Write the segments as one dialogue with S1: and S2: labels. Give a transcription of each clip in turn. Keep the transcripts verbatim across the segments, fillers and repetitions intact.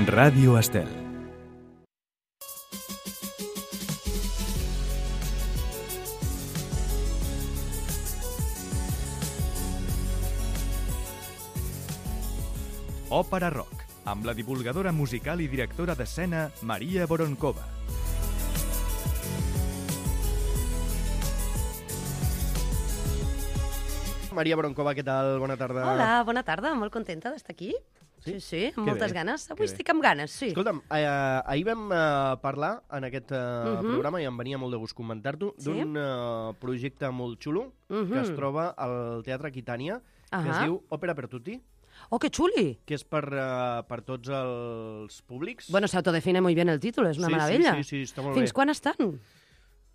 S1: Ràdio Estel. Òpera Rock, amb la divulgadora musical i directora d'escena Maria Voronkova.
S2: Maria Voronkova, què tal? Bona tarda.
S3: Hola, bona tarda, molt contenta d'estar aquí. Sí, sí, sí amb
S2: que
S3: moltes
S2: bé,
S3: ganes. Avui estic amb ganes, sí.
S2: Escolta'm, eh, ahir vam eh, parlar en aquest eh, uh -huh. programa, i em venia molt de gust comentar-t'ho,
S3: Sí?
S2: d'un eh, projecte molt xulo
S3: Uh -huh.
S2: que es troba al Teatre Aquitània, que
S3: Uh -huh.
S2: es diu Òpera per tutti,
S3: Oh, que xuli!
S2: que és per, eh, per tots els públics.
S3: Bueno, se autodefine muy bien el título, és una
S2: sí,
S3: meravella.
S2: Sí, sí, sí, està molt
S3: Fins
S2: bé.
S3: quan estan?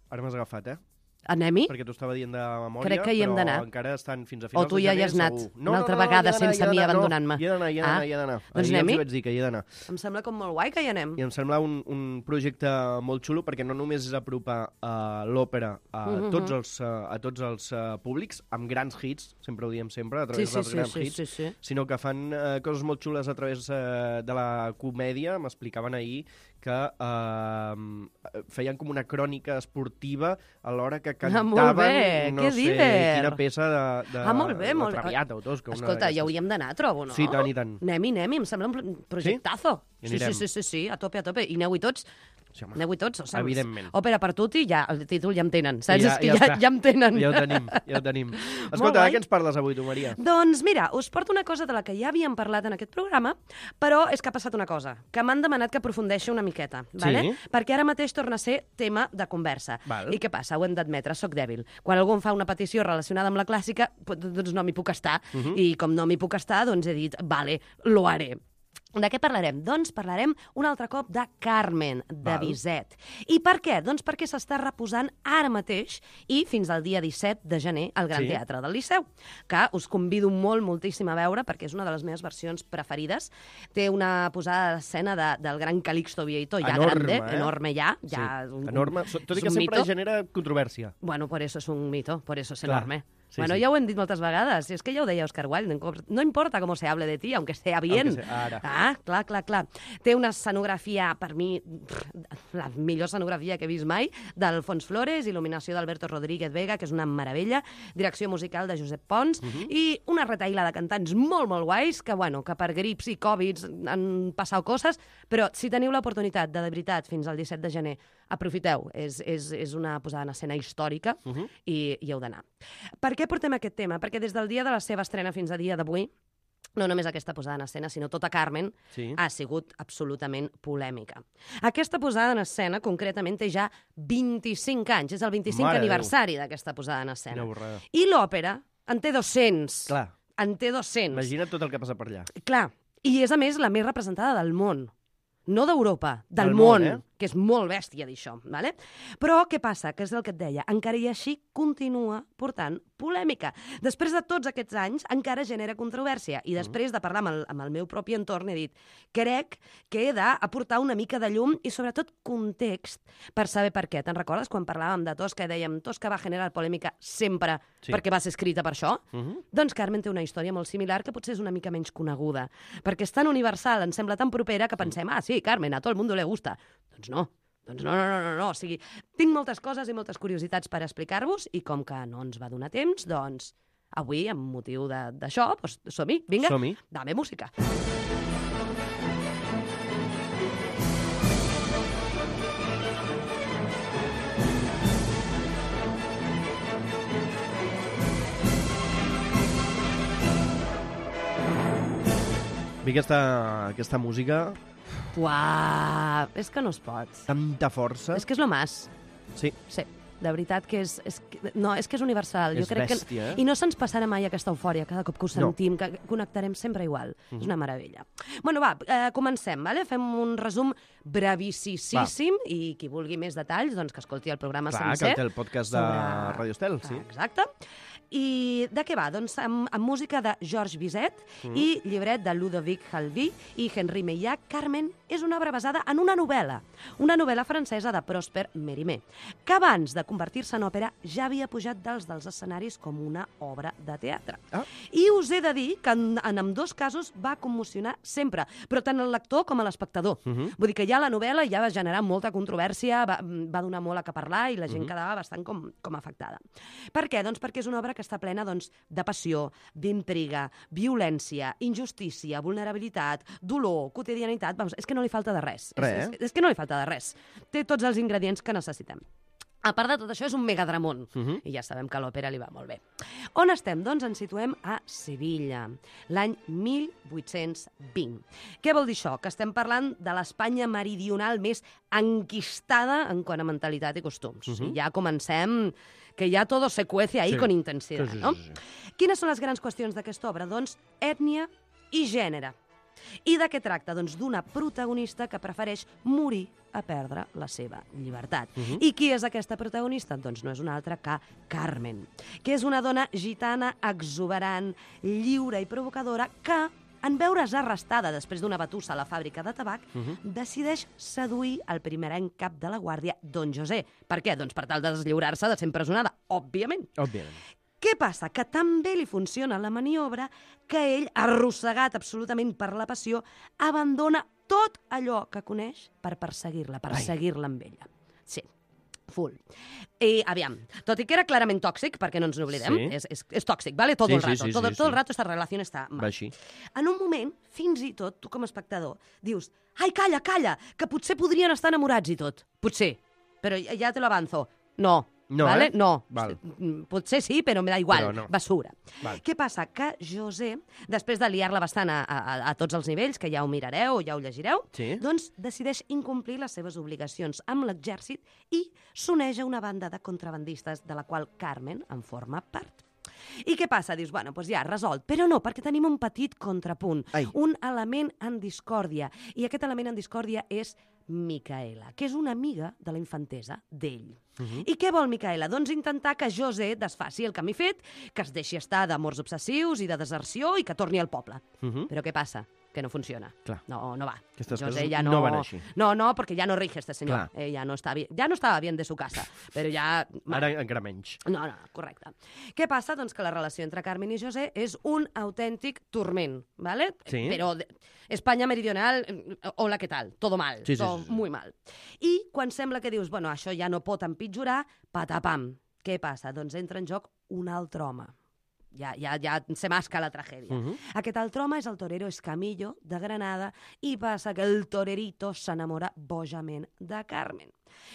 S2: Ara m'has agafat, eh?
S3: Anem-hi?
S2: Perquè t'ho estava dient de memòria,
S3: Crec que hi hem
S2: però
S3: d'anar.
S2: encara estan fins a
S3: O
S2: finals
S3: tu
S2: de
S3: ja
S2: gener,
S3: hi has anat
S2: segur.
S3: una altra vegada sense mi abandonant-me.
S2: Hi he d'anar, hi he d'anar,
S3: Ah,
S2: hi he d'anar.
S3: doncs
S2: Ahir
S3: anem-hi.
S2: els vaig dir que hi he d'anar.
S3: Em sembla com molt guai que hi anem.
S2: I em sembla un, un projecte molt xulo, perquè no només és apropar uh, l'òpera a,
S3: Mhm.
S2: tots els, uh, a tots els uh, públics, amb grans hits, sempre ho diem sempre, a través
S3: Sí, sí,
S2: dels
S3: sí,
S2: grans
S3: sí,
S2: hits,
S3: sí, sí.
S2: sinó que fan uh, coses molt xules a través uh, de la comèdia. M'explicaven ahir que uh, feien com una crònica esportiva a l'hora que cantaven,
S3: molt bé,
S2: no
S3: que
S2: sé,
S3: diver.
S2: quina peça de, de,
S3: Ah, molt bé,
S2: de
S3: molt bé.
S2: Traviata o Tosca. una
S3: Escolta,
S2: d'aquestes.
S3: ja hauríem d'anar, trobo, no?
S2: Sí, tant i tant.
S3: Anem-hi, anem-hi, em sembla un pro- projectazo.
S2: Hi
S3: Sí, sí,
S2: anirem.
S3: sí, sí, sí, a tope, a tope. I aneu-hi tots.
S2: Sí, home.
S3: Aneu-hi tots. O sigui,
S2: Evidentment.
S3: Òpera per tutti, ja, el títol ja em tenen, saps?
S2: Ja-
S3: És que
S2: ja
S3: ja,
S2: està.
S3: ja em tenen.
S2: Ja ho tenim, ja ho tenim. Escolta,
S3: guai.
S2: de què ens parles avui, tu, Maria?
S3: Doncs mira, us porto una cosa de la que ja havíem parlat en aquest programa, però és que ha passat una cosa, que m'han demanat que aprofundeixi una miqueta, vale? Perquè ara mateix torna a ser tema de conversa.
S2: Val.
S3: I què passa? Ho hem d'admetre, sóc dèbil. Quan algú em fa una petició relacionada amb la clàssica, doncs no m'hi puc estar.
S2: Uh -huh.
S3: I com no m'hi puc estar, doncs he dit, vale, lo haré. De què parlarem? Doncs parlarem un altre cop de Carmen, de
S2: Val.
S3: Bizet. I per què? Doncs perquè s'està reposant ara mateix i fins al dia disset de gener al Gran
S2: Sí.
S3: Teatre del Liceu, que us convido molt, moltíssim a veure perquè és una de les meves versions preferides. Té una posada d'escena de, del gran Calixto Vieito, ja
S2: Enorme,
S3: grande,
S2: eh?
S3: enorme ja. ja
S2: Sí,
S3: un,
S2: enorme. So- Tot i
S3: és
S2: que
S3: un
S2: sempre
S3: mito.
S2: genera controvèrsia.
S3: Bueno, por eso es un mito, por eso es
S2: Clar.
S3: enorme.
S2: Sí,
S3: bueno,
S2: sí.
S3: ja ho hem dit moltes vegades, i és que ja ho deia Oscar Wilde, no importa com se hable de ti, aunque sea bien.
S2: Aunque sea- ara.
S3: Ah, clar, clar, clar. Té una escenografia, per mi, la millor escenografia que he vist mai, d'Alfons Flores, il·luminació d'Alberto Rodríguez Vega, que és una meravella, direcció musical de Josep Pons,
S2: Uh -huh.
S3: i una retaïla de cantants molt, molt guais, que, bueno, que per grips i Covids han passat coses, però si teniu l'oportunitat de, de veritat, fins al disset de gener, aprofiteu. És, és, és una posada en escena històrica
S2: Uh -huh.
S3: i, i heu d'anar. Per què portem aquest tema? Perquè des del dia de la seva estrena fins a dia d'avui, no només aquesta posada en escena, sinó tota Carmen,
S2: Sí.
S3: ha sigut absolutament polèmica. Aquesta posada en escena, concretament, té ja vint-i-cinc anys. És el vint-i-cinc
S2: Mare de Déu.
S3: aniversari d'aquesta posada en escena.
S2: Quina borrada.
S3: I l'òpera en té dos-cents.
S2: Clar,
S3: En té dos-cents.
S2: imagina't tot el que passa per allà.
S3: Clar. I és, a més, la més representada del món. No d'Europa, del,
S2: Del
S3: món,
S2: món, eh?
S3: que és molt bèstia d'això. Vale? Però què passa? Que és el que et deia. Encara i així continua portant polèmica. Després de tots aquests anys, encara genera controvèrsia. I després de parlar amb el, amb el meu propi entorn, he dit, crec que he d'aportar una mica de llum i, sobretot, context per saber per què. Te'n recordes quan parlàvem de Tosca i dèiem Tosca va generar polèmica sempre
S2: Sí.
S3: perquè va ser escrita per això?
S2: Uh -huh.
S3: Doncs Carmen té una història molt similar que potser és una mica menys coneguda, perquè és tan universal, ens sembla tan propera que pensem, ah, sí, Carmen, a tot el mundo le gusta. Doncs no, doncs no, no, no, no, no. O sigui, tinc moltes coses i moltes curiositats per explicar-vos i com que no ens va donar temps, doncs avui, amb motiu de- d'això, doncs som-hi, vinga,
S2: Som-hi.
S3: dame música.
S2: A mi aquesta, aquesta música,
S3: Uah, és que no es pot.
S2: tanta força.
S3: És que és lo más.
S2: Sí,
S3: Sí, de veritat que és... és que, no, és que és universal.
S2: És
S3: jo crec
S2: bèstia,
S3: que,
S2: eh?
S3: I no se'ns passarà mai aquesta eufòria cada cop que ho
S2: No.
S3: sentim, que connectarem sempre igual. És una meravella. Bueno, va, eh, comencem, vale? Fem un resum brevíssim i qui vulgui més detalls, doncs que escolti el programa
S2: clar,
S3: sencer.
S2: que té el podcast de
S3: sobre-
S2: Radio Estel, sí.
S3: Ah, exacte. I de què va? Doncs amb, amb música de Georges Bizet mm. i llibret de Ludovic Halvy i Henri Meillat, Carmen és una obra basada en una novel·la, una novel·la francesa de Prosper Mérimée, que abans de convertir-se en òpera ja havia pujat dels dels escenaris com una obra de teatre. Ah. I us he de dir que en, en ambdós casos va commocionar sempre, però tant el lector com a l'espectador. Uh -huh. Vull dir que ja la novel·la ja va generar molta controvèrsia, va, va donar molt a que parlar i la gent uh -huh. quedava bastant com, com afectada. Per què? Doncs perquè és una obra que està plena doncs, de passió, d'intriga, violència, injustícia, vulnerabilitat, dolor, quotidianitat. Vamos, és que no li falta de res.
S2: Res,
S3: és, és, és que no li falta de res. Té tots els ingredients que necessitem. A part de tot això, és un megadramón. Uh -huh. I ja sabem que a l'òpera li va molt bé. On estem? Doncs ens situem a Sevilla, l'any mil vuit-cents vint. Què vol dir això? Que estem parlant de l'Espanya meridional més enquistada en quant a mentalitat i costums. Uh -huh. I ja comencem que ja todo se cuece ahí sí. con intensidad, sí, sí, no? Sí, sí. Quines són les grans qüestions d'aquesta obra? Doncs ètnia i gènere. I de què tracta? Doncs d'una protagonista que prefereix morir a perdre la seva llibertat. Uh -huh. I qui és aquesta protagonista? Doncs no és una altra que Carmen, que és una dona gitana exuberant, lliure i provocadora que, en veure's arrestada després d'una batussa a la fàbrica de tabac, uh -huh. decideix seduir el primerenc cap de la guàrdia, don José. Per què? Doncs per tal de deslliurar-se de ser empresonada, òbviament.
S2: Òbviament.
S3: Què passa? Que també li funciona la maniobra que ell, arrossegat absolutament per la passió, abandona tot allò que coneix per perseguir-la, per Ai. seguir-la amb ella. Sí, full. I, aviam, tot i que era clarament tòxic, perquè no ens n'oblidem, sí. és, és, és tòxic, ¿vale? Todo sí, el rato. Sí, sí, todo, sí, todo sí. el rato esta relació està mal.
S2: Va així.
S3: En un moment, fins i tot, tu com a espectador, dius, ai, calla, calla, que potser podrien estar enamorats i tot. Potser, però ja, ja te lo avanzo. No.
S2: No,
S3: vale?
S2: eh?
S3: No.
S2: Val.
S3: Potser sí, però me da igual.
S2: No.
S3: Basura.
S2: Val.
S3: Què passa? Que José, després de liar-la bastant a, a, a tots els nivells, que ja ho mirareu, ja ho llegireu,
S2: sí.
S3: doncs decideix incomplir les seves obligacions amb l'exèrcit i s'uneix a una banda de contrabandistes de la qual Carmen en forma part. I què passa? Dius, bueno, doncs ja, resolt. Però no, perquè tenim un petit contrapunt,
S2: Ai.
S3: un element en discòrdia. I aquest element en discòrdia és Micaela, que és una amiga de la infantesa d'ell. Uh -huh. I què vol Micaela? Doncs intentar que José desfaci el camí fet, que es deixi estar d'amors obsessius i de deserció i que torni al poble. Uh -huh. Però què passa? Que no funciona.
S2: Clar.
S3: No, no va.
S2: Aquestes
S3: José
S2: coses
S3: ja no,
S2: no van així.
S3: No, no, perquè ja no rige este senyor.
S2: Clar.
S3: Eh, ja, no està bien, ja no estava bien de su casa, però ja...
S2: Ara encara menys.
S3: No, no, correcte. Què passa? Doncs que la relació entre Carmen i José és un autèntic turment, ¿vale?
S2: Sí.
S3: Però de... España meridional, hola, què tal? Todo mal,
S2: sí, sí,
S3: todo
S2: sí, sí.
S3: muy mal. I quan sembla que dius, bueno, això ja no pot empitjorar, patapam. Què passa? Doncs entra en joc un altre home. Ja, ja, ja se masca la tragèdia. Uh -huh. Aquest altre home és el torero Escamillo, de Granada, i passa que el torerito s'enamora bojament de Carmen.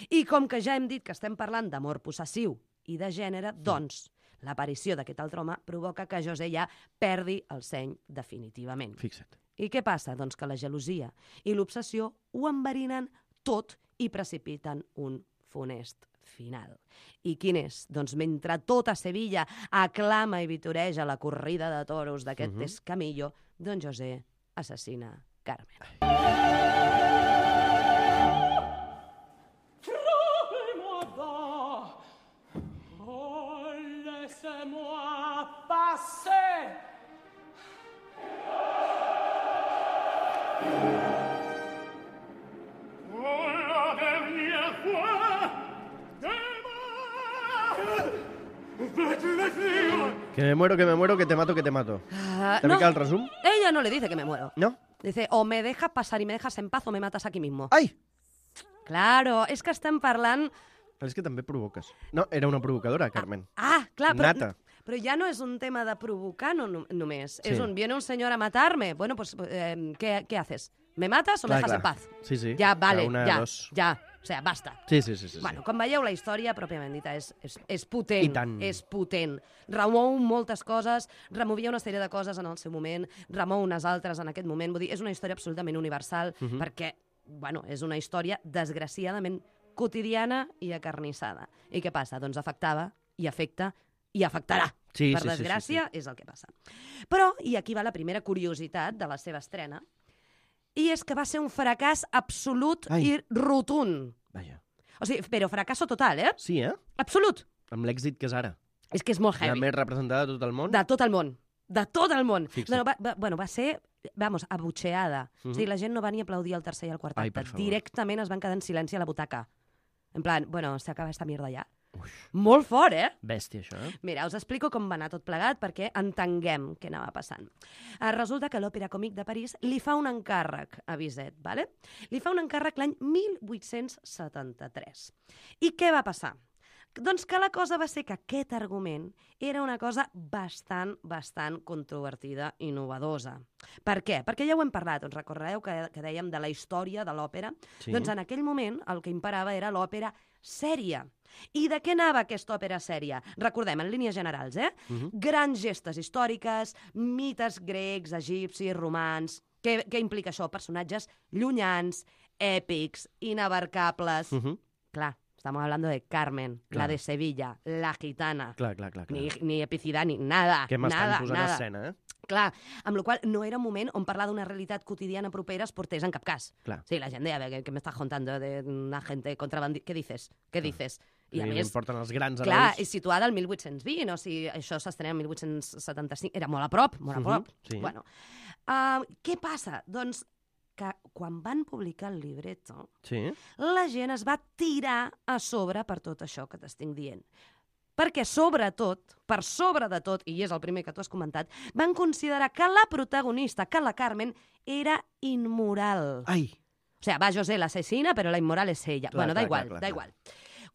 S3: I com que ja hem dit que estem parlant d'amor possessiu i de gènere, doncs l'aparició d'aquest altre home provoca que José ja perdi el seny definitivament.
S2: Fixa't.
S3: I què passa? Doncs que la gelosia i l'obsessió ho enverinen tot i precipiten un funest final. I quin és? Doncs mentre tota Sevilla aclama i vitoreja la corrida de toros d'aquest uh -huh. Escamillo, don José assassina Carmen.
S2: Que me muero, que me muero, que te mato, que te mato.
S3: Uh,
S2: ¿Te
S3: no,
S2: pica el resumen?
S3: Ella no le dice que me muero.
S2: ¿No?
S3: Dice, o me dejas pasar y me dejas en paz o me matas aquí mismo.
S2: Ai!
S3: Claro, és que estem parlant...
S2: És que també provoques. No, era una provocadora, Carmen.
S3: Ah, ah clar, però,
S2: Nata.
S3: però ja no és un tema de provocar no, no, només.
S2: Sí.
S3: És un, viene un senyor a matarme. Bueno, pues, eh, ¿qué, ¿qué haces? ¿Me matas o me
S2: clar,
S3: dejas
S2: clar.
S3: en paz?
S2: Sí, sí.
S3: Ja, vale,
S2: una,
S3: ja,
S2: dos.
S3: ja. O sigui, basta.
S2: Sí, sí, sí. sí
S3: Bueno,
S2: sí.
S3: com veieu, la història, pròpiament dita, és, és, és potent.
S2: I tant.
S3: És potent. Remou moltes coses, removia una sèrie de coses en el seu moment, remou unes altres en aquest moment. Vull dir, és una història absolutament universal, uh -huh. perquè, bueno, és una història desgraciadament quotidiana i acarnissada. I què passa? Doncs afectava i afecta i afectarà.
S2: Sí,
S3: per
S2: sí,
S3: desgràcia,
S2: sí, sí, sí.
S3: és el que passa. Però, i aquí va la primera curiositat de la seva estrena, i és que va ser un fracàs absolut
S2: Ai.
S3: i rotund.
S2: Vaja.
S3: O sigui, però fracasso total, eh?
S2: Sí, eh?
S3: Absolut.
S2: Amb l'èxit que és ara.
S3: És que és molt
S2: La
S3: heavy.
S2: més representada de tot el món?
S3: De tot el món. De tot el món.
S2: Fixa't.
S3: No, va, va, bueno, va ser, vamos, abucheada.
S2: Mhm.
S3: O sigui, la gent no va ni aplaudir el tercer i el quart
S2: Ai,
S3: acte.
S2: per favor.
S3: Directament es van quedar en silenci a la butaca. En plan, bueno, s'acaba esta mierda ja. Molt fort, eh?
S2: Bèstia, això, eh?
S3: Mira, us explico com va anar tot plegat perquè entenguem què anava passant. Eh, resulta que l'Òpera Còmic de París li fa un encàrrec a Bizet, ¿vale? Li fa un encàrrec l'any mil vuit-cents setanta-tres. I què va passar? Doncs que la cosa va ser que aquest argument era una cosa bastant, bastant controvertida i novedosa. Per què? Perquè ja ho hem parlat, us recordeu que, que dèiem de la història de l'òpera?
S2: Sí.
S3: Doncs en aquell moment el que imperava era l'òpera sèria. I de què anava aquesta òpera sèria? Recordem, en línies generals, eh?
S2: Mhm.
S3: Grans gestes històriques, mites grecs, egipcis, romans... Què, què implica això? Personatges llunyans, èpics, inabarcables...
S2: Mhm.
S3: Clar, estamos hablando de Carmen,
S2: Clar.
S3: la de Sevilla, la gitana.
S2: Clar, clar, clar. clar.
S3: Ni, ni Epicidani, nada,
S2: Què m'estan
S3: nada,
S2: posant
S3: nada.
S2: a escena, eh?
S3: Clar, amb la qual no era un moment on parlar d'una realitat quotidiana propera es portés en cap cas.
S2: Clar.
S3: Sí, la gent deia, "¿Qué, qué me estás contando de una gente contrabandista? ¿Qué dices? Què dices?" I a
S2: I
S3: més,
S2: importen els grans
S3: clar,
S2: herois.
S3: és situada al mil vuit-cents vint, o sigui, això s'estrena el mil vuit-cents setanta-cinc, era molt a prop, molt a
S2: Mhm,
S3: prop.
S2: sí.
S3: Bueno, uh, què passa? Doncs que quan van publicar el libretto,
S2: Sí?
S3: la gent es va tirar a sobre per tot això que t'estic dient. Perquè, sobretot, per sobre de tot, i és el primer que tu has comentat, van considerar que la protagonista, que la Carmen, era immoral.
S2: Ai!
S3: O sea, va José l'assassina, però la immoral és ella.
S2: Clar,
S3: bueno, da
S2: clar,
S3: igual,
S2: clar, clar,
S3: da
S2: clar.
S3: igual.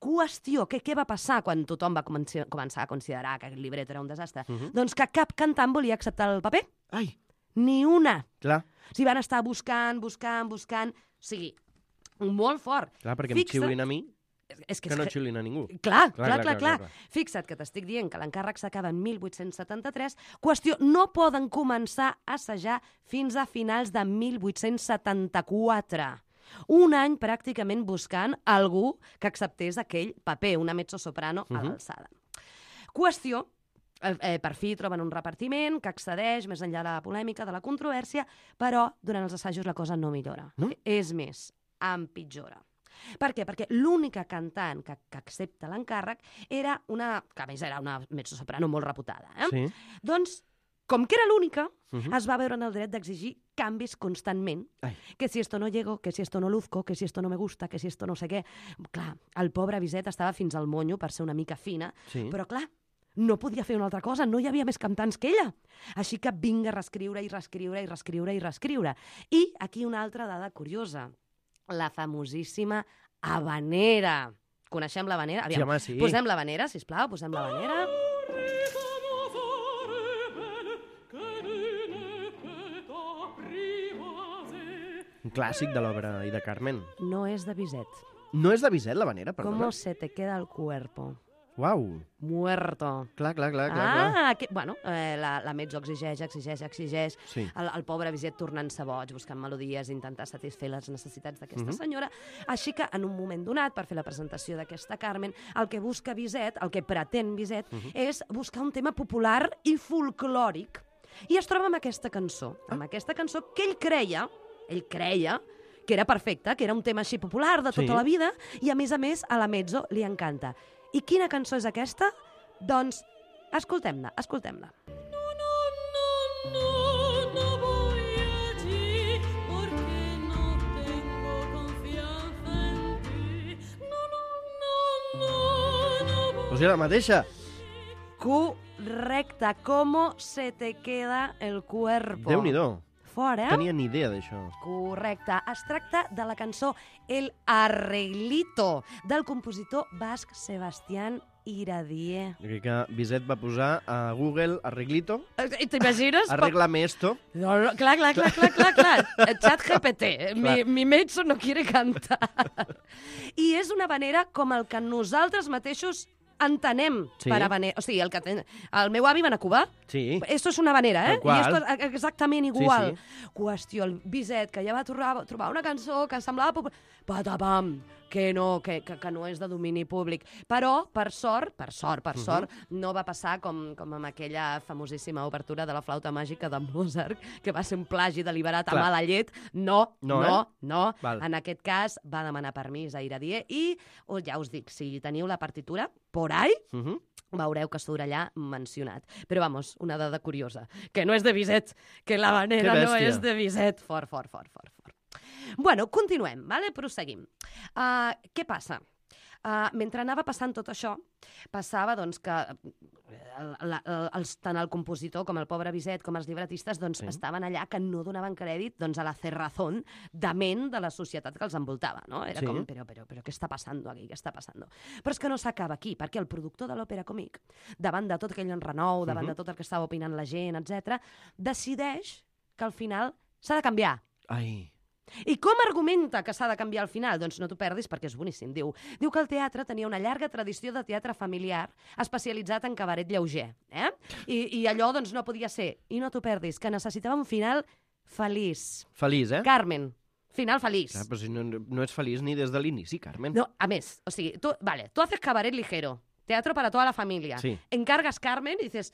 S3: Qüestió, què, què va passar quan tothom va comenci- començar a considerar que el llibret era un desastre?
S2: Mhm.
S3: Doncs que cap cantant volia acceptar el paper.
S2: Ai!
S3: Ni una.
S2: Clar,
S3: Si van estar buscant, buscant, buscant... O sigui, molt fort.
S2: clar, perquè em
S3: Fixa't-
S2: xiulin a mi,
S3: És que,
S2: que no
S3: és que
S2: xiulin a ningú.
S3: Clar, clar,
S2: Clar,
S3: clar,
S2: clar,
S3: clar, clar,
S2: clar,
S3: Fixa't que t'estic dient que l'encàrrec s'acaba en mil vuit-cents setanta-tres. Qüestió, no poden començar a assajar fins a finals de mil vuit-cents setanta-quatre. Un any pràcticament buscant algú que acceptés aquell paper, una mezzosoprano a
S2: Mhm.
S3: l'alçada. Qüestió, eh, eh, per fi troben un repartiment que excedeix més enllà de la polèmica, de la controvèrsia, però durant els assajos la cosa no millora.
S2: No?
S3: És més, empitjora. Per què? Perquè l'única cantant que, que accepta l'encàrrec era una... que a més era una mezzosoprano molt reputada. Eh?
S2: Sí.
S3: Doncs, com que era l'única,
S2: Mhm.
S3: es va veure en el dret d'exigir canvis constantment.
S2: Ai.
S3: Que si esto no llego, que si esto no luzco, que si esto no me gusta, que si esto no sé què. Clar, el pobre Bizet estava fins al monyo per ser una mica fina,
S2: Sí.
S3: però clar, no podia fer una altra cosa, no hi havia més cantants que ella. Així que vinga a reescriure i reescriure i reescriure i reescriure. I aquí una altra dada curiosa. La famosíssima habanera. Coneixem l'habanera?
S2: Sí,
S3: Aviam,
S2: home, sí.
S3: posem l'habanera, sisplau, posem l'habanera.
S2: Un clàssic de l'obra i de Carmen.
S3: No és de Bizet.
S2: No és de Bizet, la vanera, perdona?
S3: ¿Cómo se te queda el cuerpo?
S2: Uau!
S3: Muerto.
S2: Clar, clar, clar, clar. clar.
S3: Ah, que, bueno, eh, la, la mezzo exigeix, exigeix, exigeix.
S2: Sí.
S3: El, el pobre Bizet tornant-se boig, buscant melodies, intentar satisfer les necessitats d'aquesta
S2: Mhm.
S3: senyora. Així que, en un moment donat, per fer la presentació d'aquesta Carmen, el que busca Bizet, el que pretén Bizet,
S2: Mhm.
S3: és buscar un tema popular i folclòric. I es troba amb aquesta cançó, amb aquesta cançó que ell creia, ell creia, que era perfecta, que era un tema així popular de tota
S2: Sí.
S3: la vida, i a més a més a la mezzo li encanta. I quina cançó és aquesta? Doncs escoltem-la, escoltem-la.
S2: O sigui, la mateixa.
S3: Correcte. ¿Cómo se te queda el cuerpo?
S2: Déu-n'hi-do.
S3: Fort, eh?
S2: Tenia ni idea d'això.
S3: Correcte. Es tracta de la cançó El Arreglito, del compositor basc Sebastián Iradier.
S2: Jo crec que Bizet va posar a Google arreglito,
S3: Eh, T'imagines?
S2: arréglame esto.
S3: No, no, clar, clar, clar, clar, clar, clar. Chat G P T. Mi,
S2: Clar.
S3: mi mezzo no quiere cantar. I és una manera com el que nosaltres mateixos entenem
S2: Sí.
S3: per habanera. O sigui, el, que ten... el meu avi va anar a Cuba.
S2: Sí.
S3: Esto és una vanera, eh?
S2: Tal qual.
S3: I esto és exactament igual.
S2: Sí,
S3: Qüestió, el Bizet, que ja va trobar, trobar una cançó que semblava popular. Patapam! Que no, que, que, que no és de domini públic. Però, per sort, per sort, per sort, no va passar com, com amb aquella famosíssima obertura de la flauta màgica de Mozart, que va ser un plagi deliberat a
S2: Clar.
S3: mala llet. No,
S2: No,
S3: no,
S2: eh?
S3: no.
S2: Val.
S3: En aquest cas va demanar permís a Iradier i, oh, ja us dic, si teniu la partitura, por ahí,
S2: Uh -huh.
S3: veureu que surt allà mencionat. Però, vamos, una dada curiosa, que no és de Bizet, que la vanera no és de Bizet. Fort, fort, fort, fort, fort. Bueno, continuem, vale? Proseguim. Uh, què passa? Uh, mentre anava passant tot això, passava doncs, que el, el, el, els, tant el compositor com el pobre Bizet com els llibretistes doncs, sí. estaven allà que no donaven crèdit doncs, a la cerrazón dement de la societat que els envoltava. No? Era sí. com, però, però, però què està passant aquí? Què està passant? Però és que no s'acaba aquí, perquè el productor de l'òpera còmic, davant de tot aquell enrenou, davant uh -huh. de tot el que estava opinant la gent, etcètera, decideix que al final s'ha de canviar.
S2: Ai...
S3: I com argumenta que s'ha de canviar al final? Doncs no t'ho perdis perquè és boníssim. Diu, diu que el teatre tenia una llarga tradició de teatre familiar especialitzat en cabaret lleuger. Eh? I, I allò doncs, no podia ser. I no t'ho perdis, que necessitava un final feliç.
S2: Feliç, eh?
S3: Carmen, final feliç.
S2: Clar, però si no, no és feliç ni des de l'inici, Carmen.
S3: No, a més, o sigui, tu, vale, tú haces cabaret ligero, teatro para toda la familia.
S2: Sí.
S3: Encargas Carmen y dices,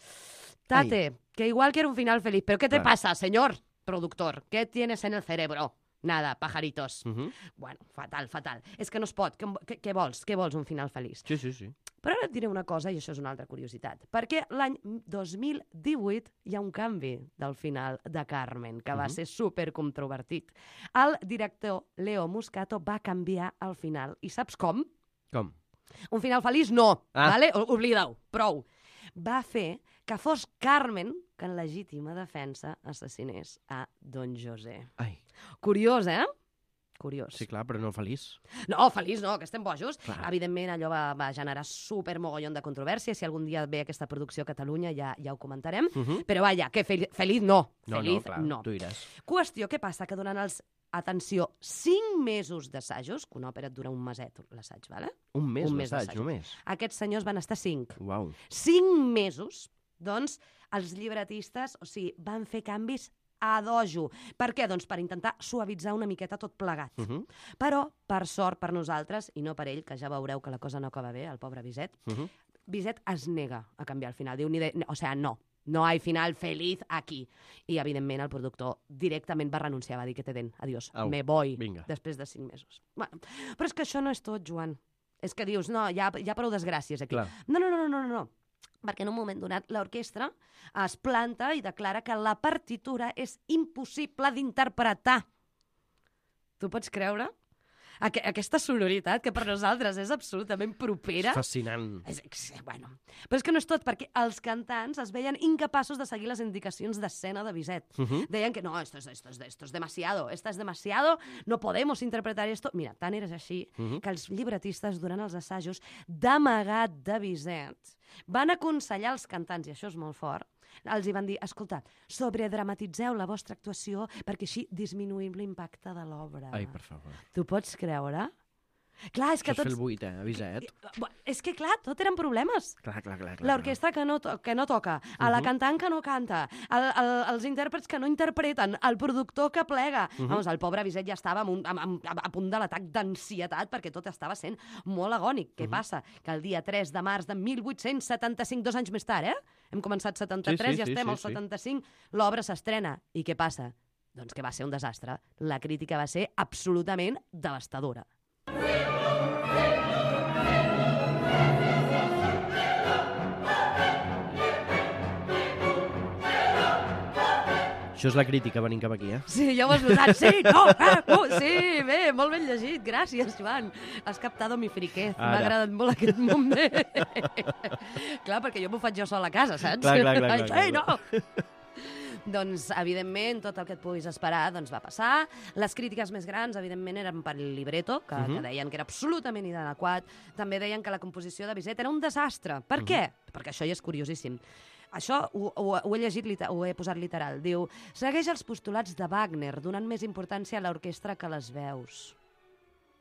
S3: Tate, Ay. que igual quiero un final feliz. ¿Pero qué te claro. pasa, señor productor? ¿Qué tienes en el cerebro? Nada, pajaritos. Uh -huh. Bueno, fatal, fatal. És que no es pot. Què, què vols? Què vols, un final feliç?
S2: Sí, sí, sí.
S3: Però ara et diré una cosa, i això és una altra curiositat. Perquè l'any dos mil divuit hi ha un canvi del final de Carmen, que uh -huh. va ser supercontrovertit. El director Leo Muscato va canviar el final. I saps com?
S2: Com?
S3: Un final feliç, no.
S2: Ah.
S3: Vale? Oblida-ho. Prou. Va fer que fos Carmen que en legítima defensa assassinés a Don José.
S2: Ai.
S3: Curiós, eh? Curiós.
S2: Sí, clar, però no feliç.
S3: No, feliç no, que estem bojos.
S2: Clar.
S3: Evidentment, allò va, va generar supermogollon de controvèrsia. Si algun dia ve aquesta producció a Catalunya ja, ja ho comentarem. Uh -huh. Però vaja, que fel feliç no.
S2: No,
S3: feliç
S2: no, clar,
S3: no.
S2: tu diràs.
S3: Qüestió, què passa? Que durant els, atenció, cinc mesos d'assajos, que una òpera et dura un meset, l'assaig, vale?
S2: Un mes,
S3: un mes
S2: l'assaig, només.
S3: Aquests senyors van estar cinc.
S2: Uau.
S3: Cinc mesos, doncs, els llibretistes, o sigui, van fer canvis a dojo. Per què? Doncs per intentar suavitzar una miqueta tot plegat. Uh -huh. Però, per sort per nosaltres, i no per ell, que ja veureu que la cosa no acaba bé, el pobre Bizet, uh -huh. Bizet es nega a canviar el final. Diu, ni de... o sea, no, no hay final feliz aquí. I, evidentment, el productor directament va renunciar, va dir que te den, adiós, Au, me voy,
S2: vinga.
S3: després de cinc mesos. Bueno, però és que això no és tot, Joan. És que dius, no, hi ha, hi ha prou desgràcies aquí.
S2: Clar.
S3: No, no, no, no, no, no. Perquè en un moment donat l'orquestra es planta i declara que la partitura és impossible d'interpretar. Tu pots creure? Aqu aquesta sonoritat, que per nosaltres és absolutament propera...
S2: És fascinant.
S3: És, bueno. Però és que no és tot, perquè els cantants es veien incapaços de seguir les indicacions d'escena de Bizet. Uh -huh. Deien que no, esto es, esto es, esto es demasiado, esto es demasiado, no podemos interpretar esto. Mira, tant era així uh -huh. que els llibretistes, durant els assajos, d'amagat de Bizet, van aconsellar als cantants, i això és molt fort, els hi van dir, escolta, sobredramatitzeu la vostra actuació perquè així disminuïm l'impacte de l'obra.
S2: Ai, per favor.
S3: Tu pots creure? Clar, és que
S2: Això
S3: tots...
S2: és fer el buit, eh, Bizet.
S3: És que, clar, tot eren problemes.
S2: Clar, clar, clar.
S3: L'orquestra que, no que no toca, a la cantant que no canta, el, el, els intèrprets que no interpreten, el productor que plega. Uh -huh. Vamos, el pobre Bizet ja estava amb un, amb, amb, a punt de l'atac d'ansietat perquè tot estava sent molt agònic. Què uh -huh. passa? Que el dia tres de març de mil vuit-cents setanta-cinc, dos anys més tard, eh? Hem començat setanta-tres, sí, sí, ja estem sí, al sí, setanta-cinc, sí. L'obra s'estrena. I què passa? Doncs que va ser un desastre. La crítica va ser absolutament devastadora.
S2: Això és la crítica venint cap aquí, eh?
S3: Sí, ja ho has notat. Sí, no, ah, uh, sí, bé, molt ben llegit. Gràcies, Joan. Has captado mi friquez. M'ha agradat molt aquest moment. Clar, perquè jo m'ho faig jo sol a casa, saps?
S2: Clar, clar, clar. clar,
S3: Ai, no! Doncs, evidentment, tot el que et puguis esperar doncs, va passar. Les crítiques més grans, evidentment, eren per el libreto, que, uh -huh. que deien que era absolutament inadequat. També deien que la composició de Bizet era un desastre. Per uh -huh. què? Perquè això ja és curiosíssim. Això ho, ho, ho he llegit, ho he posat literal. Diu, segueix els postulats de Wagner, donant més importància a l'orquestra que a les veus.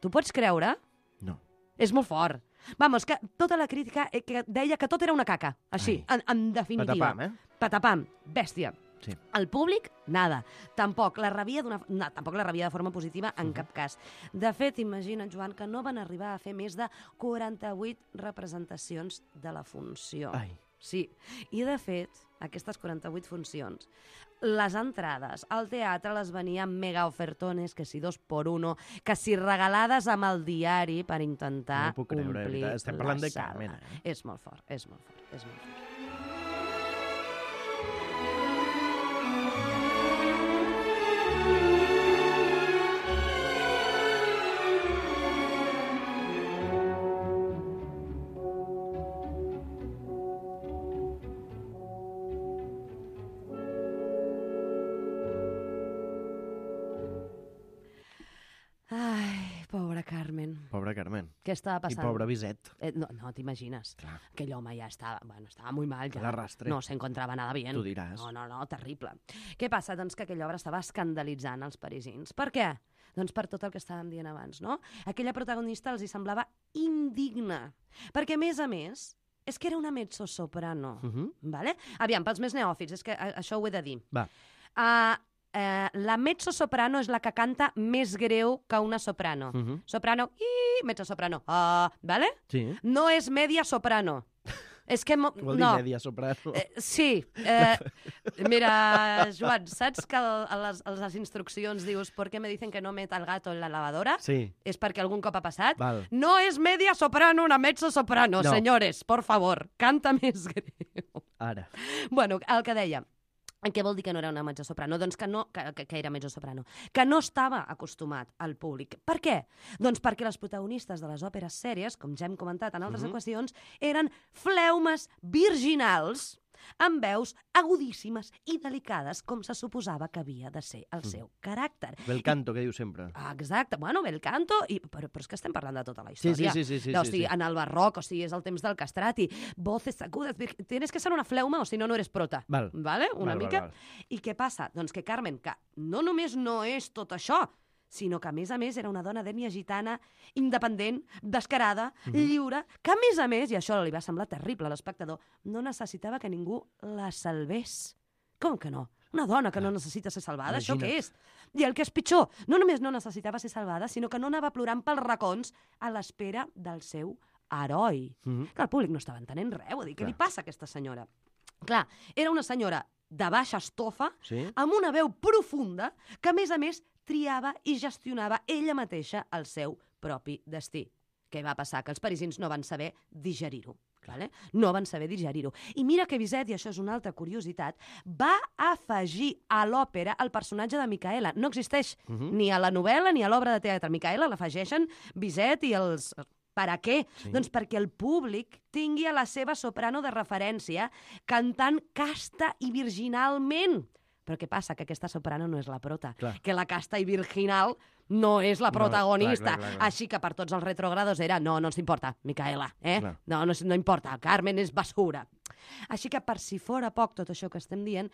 S3: Tu pots creure?
S2: No.
S3: És molt fort. Vamos, que tota la crítica que deia que tot era una caca. Així, en, en definitiva.
S2: Patapam, eh?
S3: Patapam, bèstia.
S2: Sí.
S3: El públic, nada. Tampoc la rebia d'una no, tampoc la rebia de forma positiva en uh -huh. cap cas. De fet, imagina't, Joan, que no van arribar a fer més de quaranta-vuit representacions de la funció.
S2: Ai.
S3: Sí. I, de fet, aquestes quaranta-vuit funcions, les entrades al teatre les venien mega ofertones, que si dos por uno, que si regalades amb el diari per intentar
S2: no puc creure,
S3: omplir
S2: estem parlant
S3: la
S2: de
S3: sala.
S2: Carmen, eh?
S3: És molt fort, és molt fort, és molt fort. Ai, pobra Carmen.
S2: Pobra Carmen.
S3: Què estava
S2: I
S3: passant?
S2: pobre Bizet.
S3: Eh, no, no t'imagines.
S2: Clar.
S3: Aquell home ja estava, bueno, estava muy mal. Ja.
S2: El arrastre.
S3: No se encontrava nada bien.
S2: Tu diràs.
S3: No, no, no, terrible. Què passa? Doncs que aquella obra estava escandalitzant els parisins. Per què? Doncs per tot el que estàvem dient abans, no? Aquella protagonista els hi semblava indigna. Perquè, a més a més, és que era una mezzosoprano.
S2: Uh -huh.
S3: Vale? Aviam, pels més neòfits, és que a, això ho he de dir.
S2: Va.
S3: Uh, eh, la mezzosoprano és la que canta més greu que una soprano.
S2: Uh -huh.
S3: Soprano, i mezzosoprano. Uh, vale?
S2: Sí.
S3: No és media soprano. És que... Mo...
S2: Vol dir
S3: no.
S2: media soprano.
S3: Eh, sí. Eh, mira, Joan, saps que el, a, les, a les instruccions dius ¿por qué me dicen que no meta el gato en la lavadora?
S2: Sí.
S3: És perquè algun cop ha passat?
S2: Val.
S3: No és media soprano, una mezzo soprano,
S2: No.
S3: senyores, por favor, canta més greu.
S2: Ara.
S3: Bueno, el que deia, què vol dir que no era una mezzosoprano? Doncs que, no, que, que, que era mezzosoprano. Que no estava acostumat al públic. Per què? Doncs perquè les protagonistes de les òperes sèries, com ja hem comentat en altres
S2: Mhm.
S3: ocasions, eren fleumes virginals amb veus agudíssimes i delicades, com se suposava que havia de ser el seu caràcter.
S2: Bel canto, que diu sempre.
S3: Ah, exacte, bueno, bel canto, i, però, però és que estem parlant de tota la
S2: Sí,
S3: història.
S2: sí, sí, sí, sí,
S3: o
S2: sí,
S3: sigui,
S2: sí.
S3: en el barroc, o sigui, és el temps del castrati, voces agudes, vir- tienes que ser una fleuma o si no, no eres prota.
S2: Val.
S3: Vale? Una
S2: Val, val,
S3: mica.
S2: val.
S3: I què passa? Doncs que Carmen, que no només no és tot això, sinó que, a més a més, era una dona d'ètnia gitana, independent, descarada,
S2: Mhm.
S3: lliure, que, a més a més, i això li va semblar terrible a l'espectador, no necessitava que ningú la salvés. Com que no? Una dona que no necessita ser salvada, això
S2: Imagina't.
S3: què és? I el que és pitjor, no només no necessitava ser salvada, sinó que no anava plorant pels racons a l'espera del seu heroi.
S2: Mhm.
S3: Que el públic no estava entenent res, vull dir, què
S2: Clar.
S3: li passa a aquesta senyora? Clar, era una senyora de baixa estofa,
S2: Sí?
S3: amb una veu profunda, que a més a més triava i gestionava ella mateixa el seu propi destí. Què va passar? Que els parisins no van saber digerir-ho. Vale? No van saber digerir-ho. I mira que Bizet, i això és una altra curiositat, va afegir a l'òpera el personatge de Micaela. No existeix
S2: Mhm.
S3: ni a la novel·la ni a l'obra de teatre. Micaela l'afegeixen Bizet i els... Per a què?
S2: Sí.
S3: Doncs perquè el públic tingui a la seva soprano de referència cantant casta i virginalment. Però què passa? Que aquesta soprano no és la prota.
S2: Clar.
S3: Que la casta i virginal no és la
S2: No,
S3: protagonista.
S2: clar, clar, clar, clar.
S3: Així que per tots els retrogrados era no, no ens importa, Micaela, eh?
S2: Clar.
S3: No, no, no importa, Carmen és basura. Així que per si fora poc tot això que estem dient,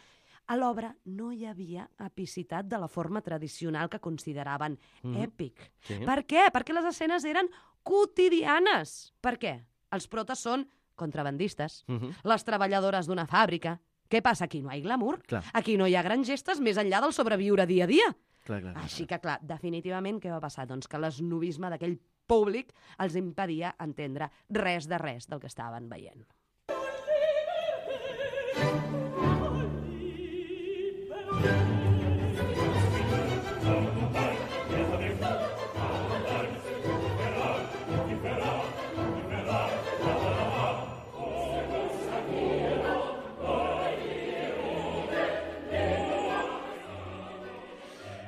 S3: a l'obra no hi havia epicitat de la forma tradicional que consideraven
S2: Mhm.
S3: èpic.
S2: Sí.
S3: Per què? Perquè les escenes eren quotidianes. Per què? Els protes són contrabandistes,
S2: Mhm.
S3: les treballadores d'una fàbrica. Què passa? Aquí no hi ha glamour.
S2: Clar.
S3: Aquí no hi ha grans gestes més enllà del sobreviure dia a dia.
S2: Clar, clar, clar.
S3: Així que, clar, definitivament què va passar? Doncs que l'esnovisme d'aquell públic els impedia entendre res de res del que estaven veient.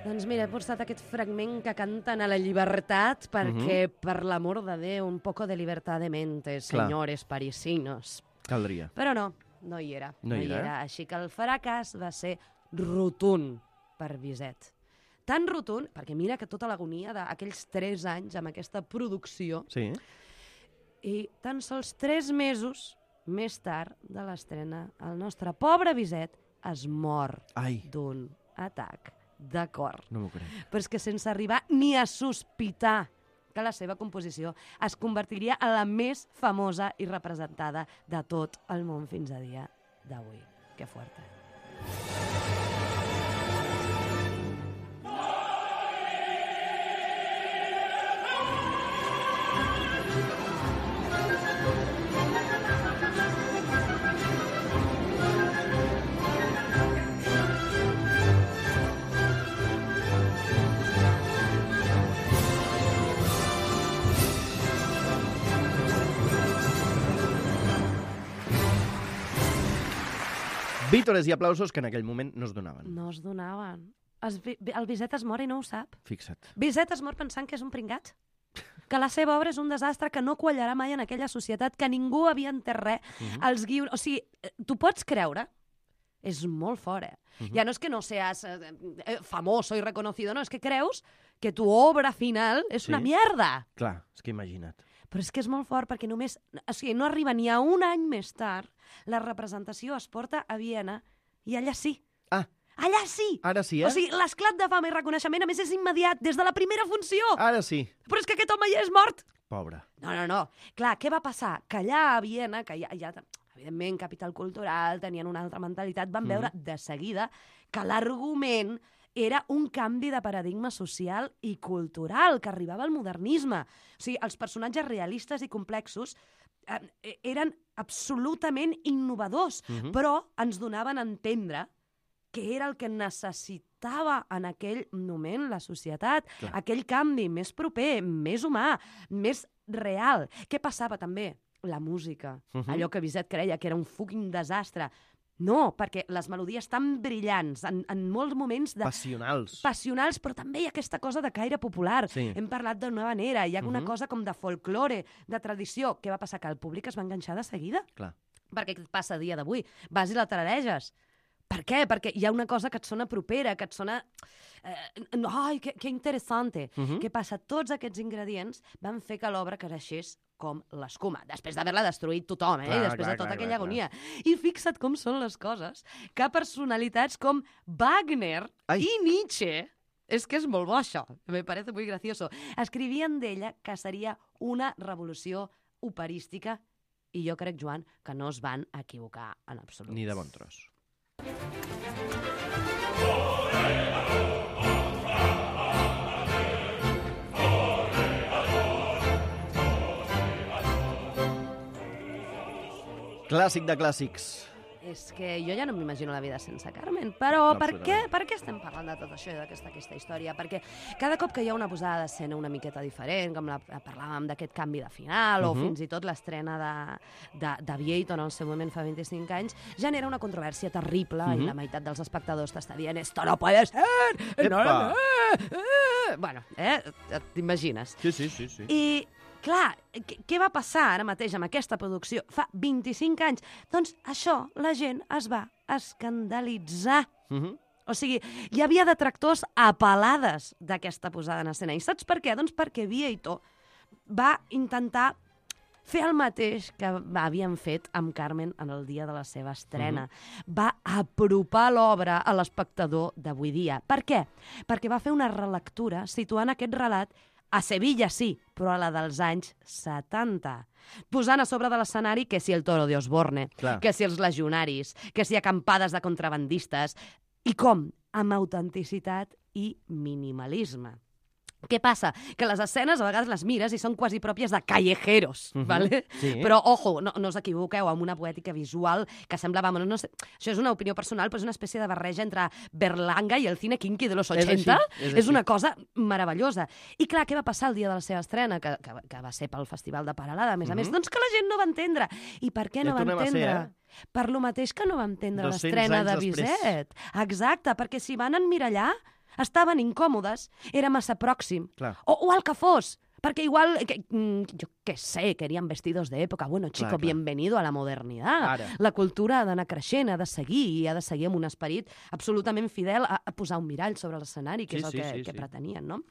S3: Doncs mira, he posat aquest fragment que canten a la llibertat perquè, per l'amor de Déu, un poco de libertad de mente,
S2: Clar.
S3: senyores parisinos.
S2: Caldria.
S3: Però no, no hi era.
S2: No hi era.
S3: Així que el fracàs va ser rotund per Bizet. Tan rotund, perquè mira que tota l'agonia d'aquells tres anys amb aquesta producció,
S2: Sí?
S3: i tan sols tres mesos més tard de l'estrena, el nostre pobre Bizet es mor
S2: Ai,
S3: d'un atac de cor.
S2: no m'ho crec.
S3: Però és que sense arribar ni a sospitar que la seva composició es convertiria en la més famosa i representada de tot el món fins a dia d'avui. Que fuerte.
S2: Vítores i aplausos que en aquell moment no es donaven.
S3: No es donaven. Es, el Bizet es mor i no ho sap.
S2: Fixa't.
S3: Bizet es mor pensant que és un pringat. Que la seva obra és un desastre, que no quallarà mai en aquella societat, que ningú havia entès res. Uh -huh. Els guions... O sigui, tu pots creure... És molt fort, eh? Uh -huh. Ja no és que no seas eh, famoso i reconocido, no, és que creus que tu obra final és
S2: sí.
S3: una mierda.
S2: Clar, és que imagina't.
S3: Però és que és molt fort, perquè només... O sigui, no arriba ni a un any més tard, la representació es porta a Viena i allà sí.
S2: Ah.
S3: Allà sí!
S2: Ara sí, eh?
S3: O sigui, l'esclat de fama i reconeixement, a més, és immediat, des de la primera funció.
S2: Ara sí.
S3: Però és que aquest home ja és mort.
S2: Pobre.
S3: No, no, no. Clar, què va passar? Que allà a Viena, que ja, ja evidentment, capital cultural, tenien una altra mentalitat, van veure mm. de seguida que l'argument era un canvi de paradigma social i cultural, que arribava al modernisme. O sigui, els personatges realistes i complexos eh, eren absolutament innovadors, mm-hmm. però ens donaven a entendre que era el que necessitava en aquell moment la societat,
S2: Clar. aquell
S3: canvi més proper, més humà, més real. Què passava també? La música. Uh-huh. Allò que Bizet creia que era un fucking desastre. No, perquè les melodies tan brillants, en, en molts moments... De...
S2: Passionals.
S3: Passionals, però també hi ha aquesta cosa de caire popular.
S2: Sí.
S3: Hem parlat d'una manera, hi ha uh-huh. una cosa com de folklore, de tradició. Què va passar? Que el públic es va enganxar de seguida.
S2: Clar.
S3: Perquè què et passa a dia d'avui? Vas i la tarareges. Per què? Perquè hi ha una cosa que et sona propera, que et sona... Eh, ai, que, que interessante. Uh-huh. Què passa? Tots aquests ingredients van fer que l'obra creixés com l'escuma, després d'haver-la destruït tothom, eh?
S2: Clar,
S3: I després
S2: clar,
S3: de tota
S2: clar,
S3: aquella
S2: clar,
S3: agonia. I fixa't com són les coses, que personalitats com Wagner Ai. i Nietzsche, és que és molt bo això, me parece muy gracioso, escrivien d'ella que seria una revolució operística, i jo crec, Joan, que no es van equivocar en absolut.
S2: Ni de bon tros. Clàssic de clàssics.
S3: És que jo ja no m'imagino la vida sense Carmen, però no, per, què, per què estem parlant de tot això i d'aquesta aquesta història? Perquè cada cop que hi ha una posada d'escena una miqueta diferent, com la, parlàvem d'aquest canvi de final, uh-huh. o fins i tot l'estrena de, de, de Vieito en el seu moment fa vint-i-cinc anys, genera una controvèrsia terrible uh-huh. i la meitat dels espectadors t'està dient «Esto no puede ser! No, no, no, eh! Bueno, eh? T'imagines.
S2: Sí, sí, sí, sí.
S3: I clar, què va passar ara mateix amb aquesta producció fa vint-i-cinc anys? Doncs això, la gent es va escandalitzar. Uh-huh. O sigui, hi havia detractors apel·lades d'aquesta posada en escena. I saps per què? Doncs perquè Vieito va intentar fer el mateix que havien fet amb Carmen en el dia de la seva estrena. Uh-huh. Va apropar l'obra a l'espectador d'avui dia. Per què? Perquè va fer una relectura situant aquest relat a Sevilla sí, però a la dels anys setanta. Posant a sobre de l'escenari que si el toro de Osborne, Clar. que si els legionaris, que si acampades de contrabandistes, i com? Amb autenticitat i minimalisme. Què passa? Que les escenes a vegades les mires i són quasi pròpies de callejeros, uh-huh. ¿vale?
S2: Sí.
S3: Però, ojo, no, no us equivoqueu, amb una poètica visual que semblava... Bueno, no sé, això és una opinió personal, però és una espècie de barreja entre Berlanga i el cine kinky de los ochenta. És, és, és una cosa meravellosa. I clar, què va passar el dia de la seva estrena, que, que, que va ser pel Festival de Paralada, a més uh-huh. a més? Doncs que la gent no va entendre. I per què no
S2: ja
S3: va entendre?
S2: Ser, eh?
S3: Per lo mateix que no va entendre l'estrena de Bizet. Exacte, perquè si van emmirallar estaven incòmodes, era massa pròxim. O, o el que fos, perquè igual, que, jo què sé, querían vestidos de època. Bueno, chico, clar, clar. bienvenido a la modernidad. Ara. La cultura ha d'anar creixent, ha de seguir, i ha de seguir amb un esperit absolutament fidel a, a posar un mirall sobre l'escenari, que sí, és el sí, que, sí, que sí. pretenien, no?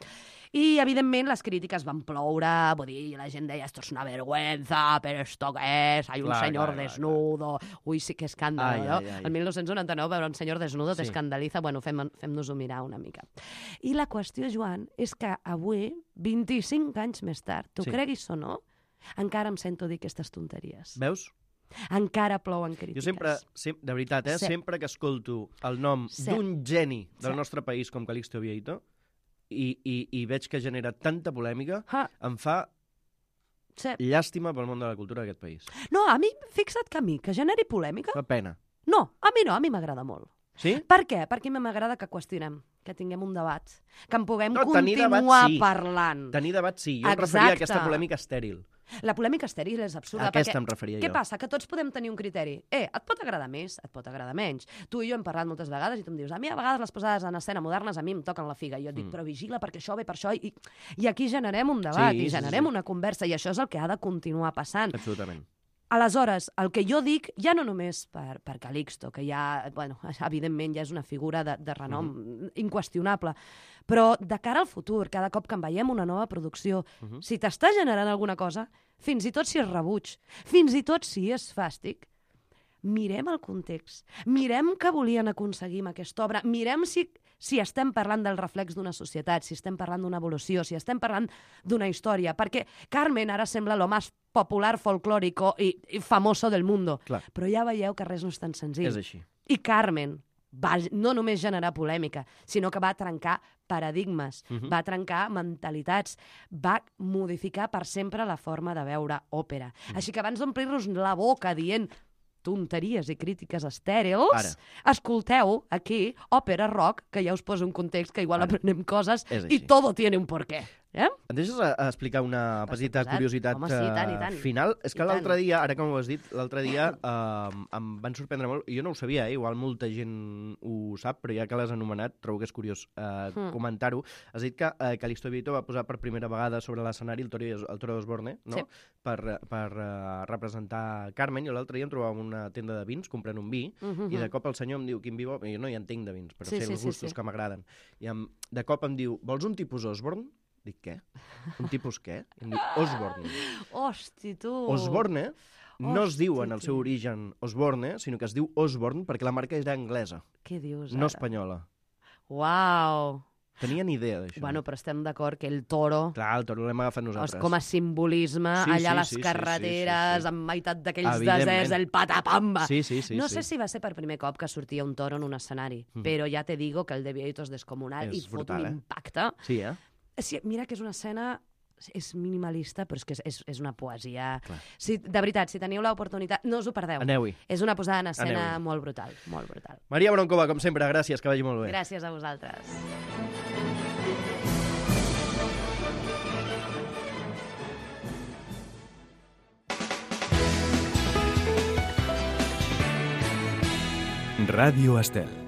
S3: I, evidentment, les crítiques van ploure, vull dir, la gent deia, esto es una vergüenza, però esto què és? Hay un clar, senyor clar, desnudo. Clar. Ui, sí que escàndol, no? Ai, ai. El mil nou-cents noranta-nou, veure un senyor desnudo sí. t'escandalitza. Bueno, fem, fem-nos-ho mirar una mica. I la qüestió, Joan, és que avui, vint-i-cinc anys més tard, tu sí. creguis o no, encara em sento dir aquestes tonteries.
S2: Veus?
S3: Encara plouen crítiques.
S2: Jo sempre, sem de veritat, eh, sí. sempre que escolto el nom sí. d'un geni del sí. nostre país com Calixto Vieito, I, i, i veig que genera tanta polèmica, ha. em fa sí. llàstima pel món de la cultura d'aquest país.
S3: No, a mi, fixa't que a mi, que generi polèmica...
S2: Fa pena.
S3: No, a mi no, a mi m'agrada molt.
S2: Sí?
S3: Per què? Perquè a mi m'agrada que qüestionem, que tinguem un debat, que en puguem
S2: no,
S3: continuar
S2: debat, sí.
S3: parlant.
S2: Tenir debat, sí. Jo Exacte. em referia a aquesta polèmica estèril.
S3: La polèmica estèril és absurda.
S2: A aquesta
S3: perquè,
S2: em referia
S3: què
S2: jo.
S3: passa? Que tots podem tenir un criteri. Eh, et pot agradar més, et pot agradar menys. Tu i jo hem parlat moltes vegades i tu em dius, a mi a vegades les posades en escena modernes a mi em toquen la figa. I jo et dic,
S2: Mm.
S3: però vigila perquè això ve per això. I, i aquí generem un debat
S2: Sí,
S3: i
S2: sí,
S3: generem
S2: sí.
S3: una conversa i això és el que ha de continuar passant.
S2: Absolutament.
S3: Aleshores, el que jo dic, ja no només per, per Calixto, que ja, bueno, evidentment ja és una figura de, de renom
S2: Mhm.
S3: inqüestionable, però de cara al futur, cada cop que en veiem una nova producció,
S2: Mhm.
S3: si t'està generant alguna cosa, fins i tot si és rebuig, fins i tot si és fàstic, mirem el context, mirem què volien aconseguir amb aquesta obra, mirem si, si estem parlant del reflex d'una societat, si estem parlant d'una evolució, si estem parlant d'una història, perquè Carmen ara sembla lo més popular, folclòrico i, i famoso del mundo,
S2: Clar.
S3: però ja veieu que res no és tan senzill.
S2: És així.
S3: I Carmen va no només generar polèmica, sinó que va trencar paradigmes,
S2: Mhm.
S3: va trencar mentalitats, va modificar per sempre la forma de veure òpera.
S2: Mhm.
S3: Així que abans d'omplir-nos la boca dient tonteries i crítiques estèrils,
S2: Ara.
S3: escolteu aquí òpera rock, que ja us posa un context que igual
S2: Ara.
S3: aprenem coses
S2: És
S3: i
S2: així.
S3: todo tiene un porqué. Eh?
S2: Em deixes a, a explicar una
S3: Per
S2: petita
S3: suposat.
S2: curiositat
S3: Home, sí, i tant, i
S2: eh,
S3: tant.
S2: final? És
S3: I
S2: que
S3: tant.
S2: l'altre dia, ara com ho has dit, l'altre dia eh, em van sorprendre molt, i jo no ho sabia, eh? Igual molta gent ho sap, però ja que l'has anomenat, trobo que és curiós eh,
S3: Hmm.
S2: comentar-ho. Has dit que eh, Calixto Vieto va posar per primera vegada sobre l'escenari el Toro, el Toro d'Osborne, no?
S3: Sí.
S2: Per, per uh, representar Carmen, i l'altre dia em trobava en una tenda de vins comprant un vi,
S3: Uh -huh.
S2: i de cop el senyor em diu, quin vi vol? I jo no hi entenc de vins, però
S3: Sí,
S2: sé
S3: sí,
S2: els
S3: sí,
S2: gustos
S3: sí.
S2: que m'agraden. I em, de cop em diu, vols un tipus Osborne? Dic, què? Un tipus què? I em diu, Osborne.
S3: Hosti, tu!
S2: Osborne no es
S3: Hosti,
S2: diu en el seu
S3: tu.
S2: origen Osborne, sinó que es diu Osborne perquè la marca era anglesa,
S3: Què dius
S2: no
S3: ara?
S2: espanyola.
S3: Uau!
S2: Tenia ni idea d'això.
S3: Bueno, però estem d'acord que el toro,
S2: Clar, el toro l'hem agafat
S3: és
S2: nosaltres.
S3: com a simbolisme,
S2: Sí,
S3: allà
S2: sí,
S3: a les
S2: sí, sí,
S3: carreteres,
S2: sí, sí, sí.
S3: en meitat d'aquells
S2: Evidentment.
S3: deserts, el patapamba.
S2: Sí, sí, sí.
S3: no
S2: sí.
S3: sé si va ser per primer cop que sortia un toro en un escenari,
S2: Mhm.
S3: però ja te digo que el de Vieto és descomunal
S2: És
S3: i fot
S2: brutal,
S3: un
S2: eh?
S3: impacte.
S2: Sí, eh?
S3: Sí, mira que és una escena és minimalista, però és que és, és, és una poesia.
S2: Clar.
S3: Si, de veritat, si teniu l'oportunitat, no us ho perdeu.
S2: Aneu-hi.
S3: És una posada en escena
S2: Aneu-hi.
S3: molt brutal, molt brutal.
S2: Maria Broncova, com sempre, gràcies, que vagi molt bé.
S3: Gràcies a vosaltres.
S1: Ràdio Estel.